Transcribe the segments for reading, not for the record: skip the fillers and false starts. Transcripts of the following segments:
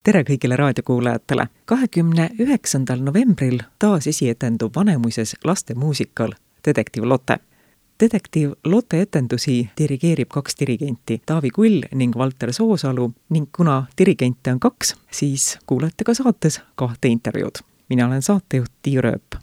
Tere kõigile raadiokuulajatele! 29. novembril taas esietendub Vanemuises lastemuusikal Detektiiv Lotte. Detektiiv Lotte etendusi dirigeerib 2 dirigenti, Taavi Kull ning Valter Soosalu, ning kuna dirigente on 2, siis kuulete ka saates 2 intervjuud. Mina olen saatejuht Tiiu Rööp.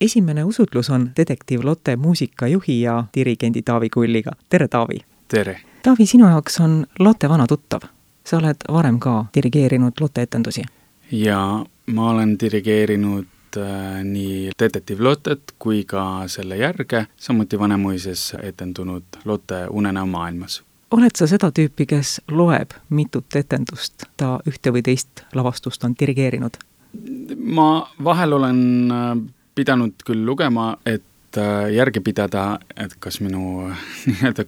Esimene usutlus on Detektiiv Lotte muusikajuhi ja dirigendi Taavi Kulliga. Tere, Taavi! Tere! Taavi, sinu jaoks on Lotte vana tuttav. Sa oled varem ka dirigeerinud Lotte etendusi. Ja ma olen dirigeerinud nii Detektiiv Lottet kui ka selle järge, samuti Vanemuises etendunud Lotte Unenäo maailmas. Oled sa seda tüüpi, kes loeb mitut etendust, ta ühte või teist lavastust on dirigeerinud? Ma vahel olen pidanud küll lugema, et järgi pidada, et kas minu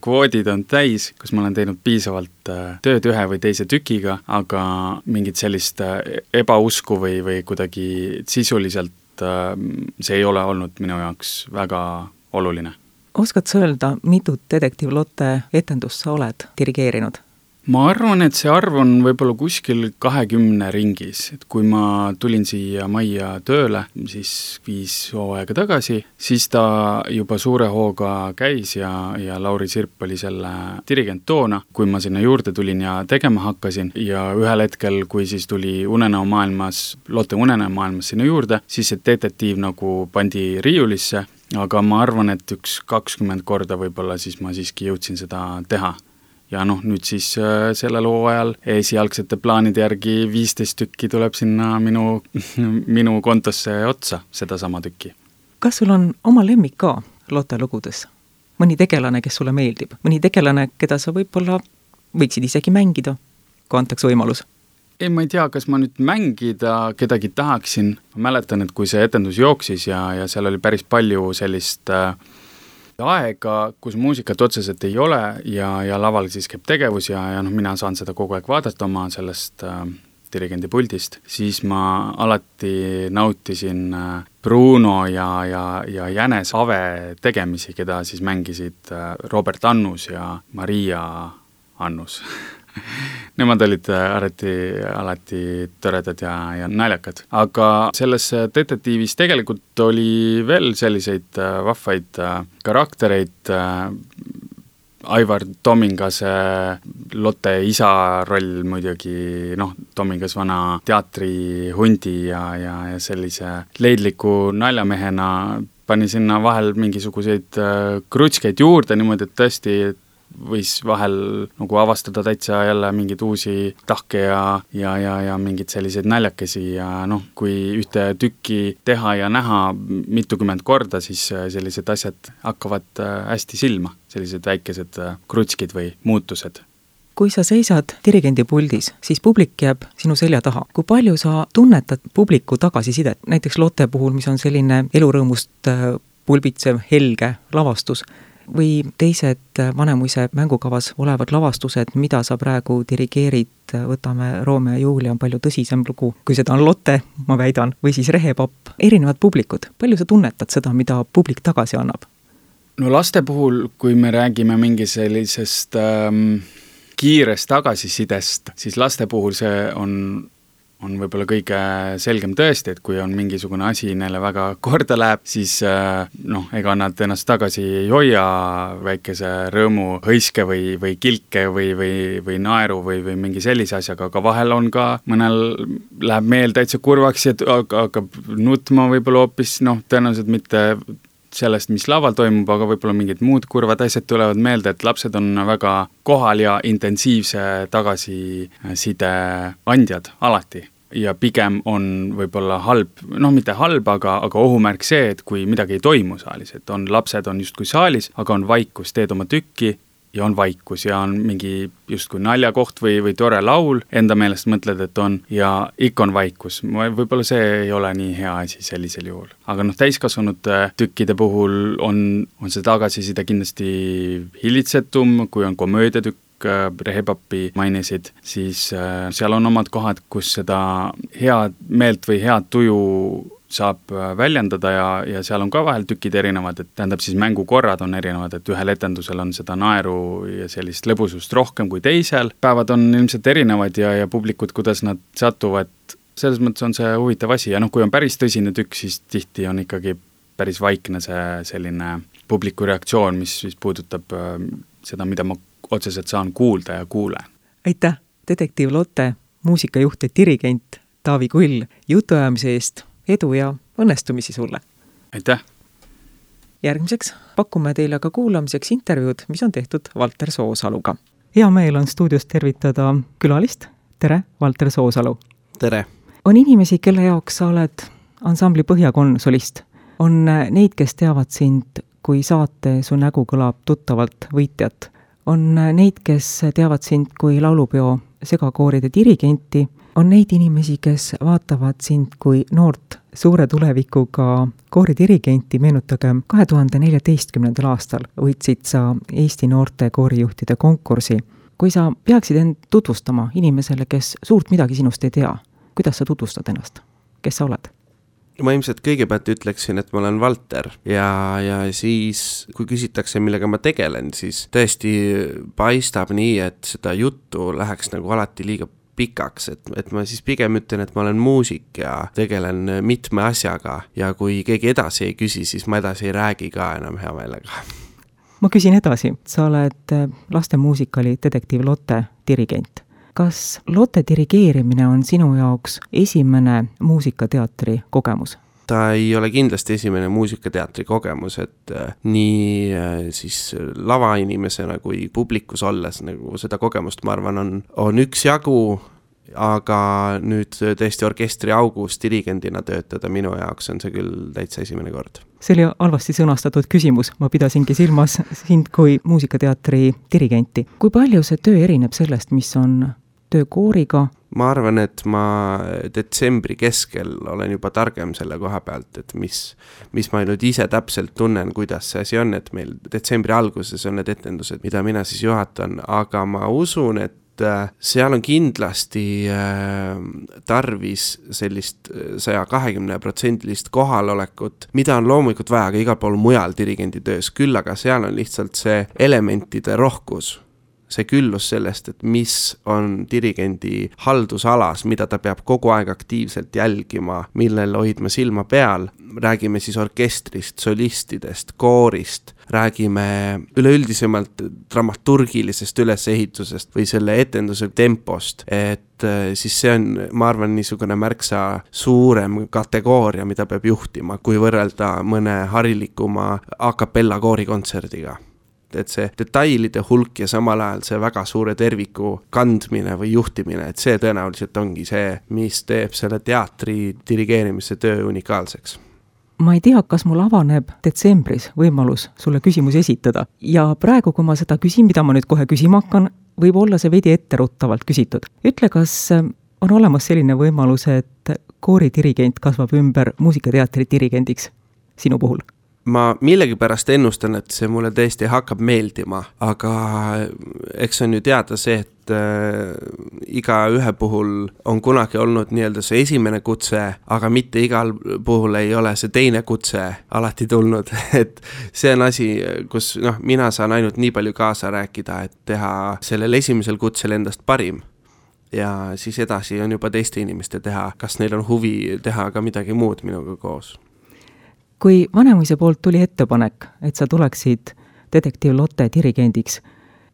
kvoodid on täis, kas ma olen teinud piisavalt tööd ühe või teise tükiga, aga mingit sellist ebausku või kuidagi sisuliselt see ei ole olnud minu jaoks väga oluline. Oskad sa öelda, mitut Detektiiv Lotte etendust sa oled dirigeerinud? Ma arvan, et see arv on võib-olla kuskil 20 ringis. Et kui ma tulin siia majja tööle, siis 5 hooaega tagasi, siis ta juba suure hooga käis ja Lauri Sirp oli selle dirigent toona, kui ma sinna juurde tulin ja tegema hakkasin. Ja ühel hetkel, kui siis tuli Unenäo maailmas, Lotte Unenäo maailmas sinna juurde, siis see detektiiv nagu pandi riiulisse, aga ma arvan, et 20 korda võib-olla siis ma siiski jõudsin seda teha. Ja nüüd siis sellel hooajal esialgsete plaanide järgi 15 tükki tuleb sinna minu kontosse otsa, seda sama tükki. Kas sul on oma lemmik ka Lotte lugudes? Mõni tegelane, kes sulle meeldib? Mõni tegelane, keda sa võib-olla võiksid isegi mängida, kui antaks võimalus? Ei, ma ei tea, kas ma nüüd mängida kedagi tahaksin. Ma mäletan, et kui see etendus jooksis ja seal oli päris palju sellist aega, kus muusikat otseselt ei ole ja laval siis käib tegevus ja mina saan seda kogu aeg vaadata oma sellest dirigendi puldist, siis ma alati nautisin Bruno ja Jänes Ave tegemisi, keda siis mängisid Robert Annus ja Maria Annus. Nemad olid alati toredad ja naljakad. Aga selles detektiivis tegelikult oli veel selliseid vahvaid karaktereid. Aivar Tomingase Lotte isa roll muidugi, Tomingas vana teatrihundi ja sellise leidliku naljamehena pani sinna vahel mingisuguseid krutskeid juurde niimoodi, et tõesti võis vahel nagu avastada täitsa jälle mingeid uusi tahke ja mingeid selliseid naljakesi ja kui ühte tükki teha ja näha mitukümmend korda, siis sellised asjad hakkavad hästi silma, sellised väikesed krutskid või muutused. Kui sa seisad dirigendi puldis, siis publik jääb sinu selja taha. Kui palju sa tunnetad publiku tagasisidet, näiteks Lotte puhul, mis on selline elurõõmust pulbitsev helge lavastus, või teised Vanemuise mängukavas olevad lavastused, mida sa praegu dirigeerid, võtame Romeo ja Julia on palju tõsisem lugu, kui seda on Lotte, ma väidan, või siis Rehepapp, erinevad publikud. Palju sa tunnetad seda, mida publik tagasi annab? Laste puhul, kui me räägime mingi sellisest kiirest tagasisidest, siis laste puhul see on võib-olla kõige selgem tõesti, et kui on mingisugune asi neile väga korda läheb, siis ega nad ennast tagasi ei hoia väikese rõõmu hõiske või kilke või naeru või mingi sellise asjaga, aga vahel on ka, mõnel läheb meel täitsa kurvaks ja hakkab nutma võib-olla hoopis, tõenäoliselt mitte sellest, mis laval toimub, aga võib-olla mingid muud kurvad asjad tulevad meelde, et lapsed on väga kohal ja intensiivse tagasiside andjad alati. Ja pigem on võib-olla halb, mitte halb, aga ohumärk see, et kui midagi ei toimu saalis, et lapsed on justkui saalis, aga on vaikus, teed oma tükki ja on vaikus ja on mingi justkui naljakoht või tore laul, enda meelest mõtled, et on ja ikka on vaikus. Võib-olla see ei ole nii hea asi sellisel juhul. Aga täiskasvanud tükkide puhul on see tagasiside kindlasti hilitsetum, kui on komöödiatükk, Rehepappi mainisid, siis seal on omad kohad, kus seda head meelt või head tuju saab väljendada ja seal on ka vahel tükid erinevad, et tähendab siis mängukorrad on erinevad, et ühel etendusel on seda naeru ja sellist lõbusust rohkem kui teisel, päevad on ilmselt erinevad ja publikud, kuidas nad satuvad, selles mõttes on see huvitav asi ja kui on päris tõsine tükk, siis tihti on ikkagi päris vaikne see selline publiku reaktsioon, mis puudutab seda, mida ma otseselt saan kuulda ja kuulen. Aitäh, Detektiiv Lotte, muusikajuht ja dirigent Taavi Kull jutuajamise eest, edu ja õnnestumisi sulle! Aitäh! Järgmiseks pakume teile ka kuulamiseks intervjuud, mis on tehtud Valter Soosaluga. Hea meel on stuudios tervitada külalist. Tere, Valter Soosalu! Tere! On inimesi, kelle jaoks sa oled ansambli Põhjakonn solist. On neid, kes teavad sind, kui saate Su nägu kõlab tuttavalt võitjat. On neid, kes teavad sind kui laulupeo segakooride dirigenti. On neid inimesi, kes vaatavad sind kui noort suure tulevikuga kooridirigenti, meenutagem 2014. aastal võitsid sa Eesti noorte koorijuhtide konkursi. Kui sa peaksid end tutvustama inimesele, kes suurt midagi sinust ei tea, kuidas sa tutvustad ennast? Kes sa oled? Ma ilmselt kõigepealt ütleksin, et ma olen Valter ja siis, kui küsitakse, millega ma tegelen, siis tõesti paistab nii, et seda juttu läheks nagu alati liiga pikaks, et ma siis pigem ütlen, et ma olen muusik ja tegelen mitme asjaga ja kui keegi edasi ei küsi, siis ma edasi ei räägi ka enam hea meelega. Ma küsin edasi, sa oled lastemuusikali Detektiiv Lotte dirigent. Kas Lotte dirigeerimine on sinu jaoks esimene muusikateatri kogemus? Ta ei ole kindlasti esimene muusikateatri kogemus, et nii siis lavainimesena kui publikus olles nagu seda kogemust, ma arvan, on üksjagu, aga nüüd tõesti orkestri augus dirigendina töötada minu jaoks on see küll täitsa esimene kord. See oli halvasti sõnastatud küsimus, ma pidasingi silmas sind kui muusikateatri dirigenti. Kui palju see töö erineb sellest, mis on töö kooriga? Ma arvan, et ma detsembri keskel olen juba targem selle koha pealt, et mis ma nüüd ise täpselt tunnen, kuidas see asi on, et meil detsembri alguses on need etendused, mida mina siis juhatan, aga ma usun, et seal on kindlasti tarvis sellist 120% kohalolekut, mida on loomulikult vaja ka igal pool mujal dirigendi töös, küll aga seal on lihtsalt see elementide rohkus. See küllus sellest, et mis on dirigendi haldusalas, mida ta peab kogu aeg aktiivselt jälgima, millel hoidma silma peal. Räägime siis orkestrist, solistidest, koorist, räägime üleüldisemalt dramaturgilisest ülesehitusest või selle etenduse tempost, et siis see on, ma arvan, niisugune märksa suurem kategooria, mida peab juhtima, kui võrrelda mõne harilikuma a cappella koorikontserdiga. Et see detailide hulk ja samal ajal see väga suure terviku kandmine või juhtimine, et see tõenäoliselt ongi see, mis teeb selle teatri dirigeerimise töö unikaalseks. Ma ei tea, kas mul avaneb detsembris võimalus sulle küsimusi esitada ja praegu, kui ma seda küsin, mida ma nüüd kohe küsima hakkan, võib olla see veidi etteruttavalt küsitud. Ütle, kas on olemas selline võimalus, et kooridirigent kasvab ümber muusikateatri dirigendiks sinu puhul? Ma millegipärast ennustan, et see mulle tõesti hakkab meeldima, aga eks on ju teada see, et iga ühe puhul on kunagi olnud nii-öelda see esimene kutse, aga mitte igal puhul ei ole see teine kutse alati tulnud, et see on asi, kus mina saan ainult nii palju kaasa rääkida, et teha sellel esimesel kutsel endast parim. Ja siis edasi on juba teiste inimeste teha, kas neil on huvi teha ka midagi muud minuga koos. Kui Vanemuise poolt tuli ettepanek, et sa tuleksid Detektiiv Lotte dirigendiks,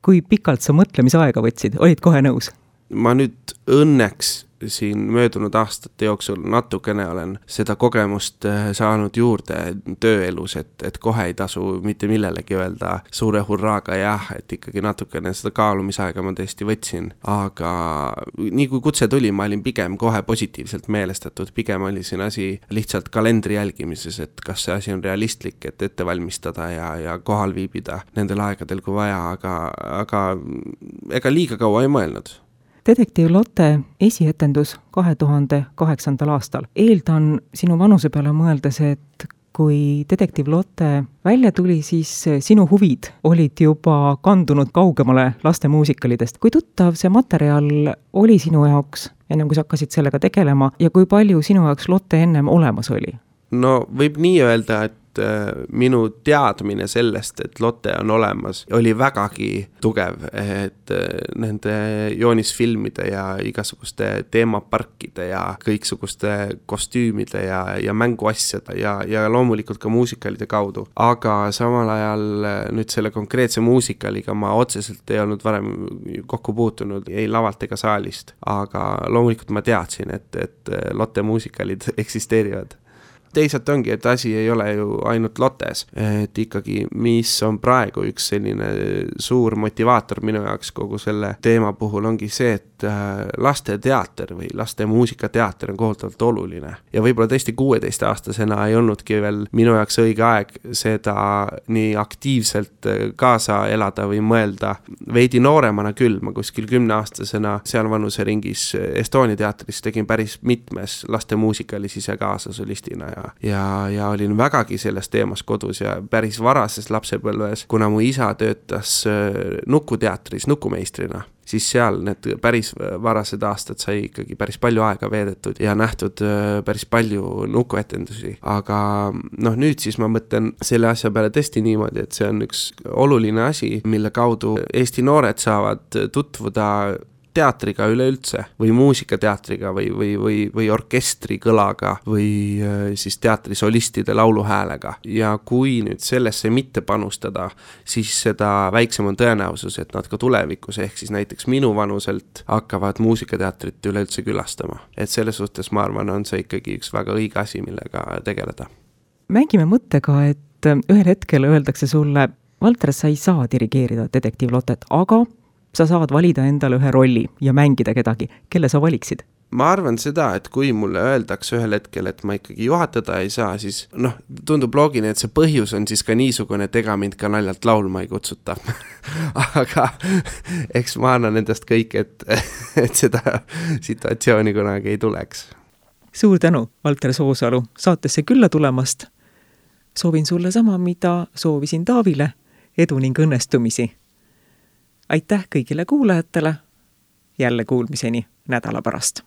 kui pikalt sa mõtlemisaega võtsid, olid kohe nõus? Ma nüüd õnneks siin möödunud aastate jooksul natukene olen seda kogemust saanud juurde tööelus, et kohe ei tasu mitte millelegi öelda suure hurraaga jah, et ikkagi natukene seda kaalumisaega ma tõesti võtsin, aga nii kui kutse tuli, ma olin pigem kohe positiivselt meelestatud, pigem oli siin asi lihtsalt kalendri jälgimises, et kas see asi on realistlik, et ette valmistada ja kohal viibida nendel aegadel kui vaja, aga ega liiga kaua ei mõelnud. Detektiiv Lotte esietendus 2008. aastal. Eeldan sinu vanuse peale mõeldes, et kui Detektiiv Lotte välja tuli, siis sinu huvid olid juba kandunud kaugemale lastemuusikalidest. Kui tuttav see materjal oli sinu jaoks, ennem kui sa hakkasid sellega tegelema, ja kui palju sinu jaoks Lotte ennem olemas oli? No võib nii öelda, et minu teadmine sellest, et Lotte on olemas, oli vägagi tugev, et nende joonisfilmide ja igasuguste teemaparkide ja kõiksuguste kostüümide ja mänguasjade ja loomulikult ka muusikalide kaudu. Aga samal ajal nüüd selle konkreetse muusikaliga ma otseselt ei olnud varem kokku puutunud, ei lavalt ega saalist. Aga loomulikult ma teadsin, et Lotte muusikalid eksisteerivad. Teisalt ongi, et asi ei ole ju ainult Lottes, et ikkagi mis on praegu üks selline suur motivaator minu jaoks kogu selle teema puhul ongi see, et laste teater või laste muusikateater on kohutavalt oluline. Ja võib-olla tõesti 16-aastasena ei olnudki veel minu jaoks õige aeg seda nii aktiivselt kaasa elada või mõelda. Veidi nooremana küll, ma kuskil 10-aastasena seal vanuseringis Estonia teatris tegin päris mitmes laste muusikalis ise kaasa solistina ja olin vägagi selles teemas kodus ja päris varases lapsepõlves, kuna mu isa töötas Nukuteatris nukumeistrina, siis seal need päris varased aastad sai ikkagi päris palju aega veedetud ja nähtud päris palju nukuetendusi. Aga nüüd siis ma mõtlen selle asja peale tõesti niimoodi, et see on üks oluline asi, mille kaudu Eesti noored saavad tutvuda teatriga üleüldse või muusikateatriga või orkestri kõlaga või siis teatrisolistide lauluhäälega. Ja kui nüüd sellesse mitte panustada, siis seda väiksem on tõenäosus, et nad ka tulevikus ehk siis näiteks minu vanuselt hakkavad muusikateatrit üleüldse külastama. Et selles suhtes ma arvan, on see ikkagi üks väga õige asi, millega tegeleda. Mängime mõttega, et ühel hetkel öeldakse sulle, Valter, sa ei saa dirigeerida detektiiv Lottet, aga sa saad valida endale ühe rolli ja mängida kedagi. Kelle sa valiksid? Ma arvan seda, et kui mulle öeldakse ühel hetkel, et ma ikkagi juhatada ei saa, siis tundub loogine, et see põhjus on siis ka niisugune, et ega mind ka naljalt laulma ei kutsuta. Aga eks ma annan endast kõik, et seda situatsiooni kunagi ei tuleks. Suur tänu, Valter Soosalu, saatesse külla tulemast. Soovin sulle sama, mida soovisin Taavile, edu ning õnnestumisi. Aitäh kõigile kuulajatele, jälle kuulmiseni nädala pärast.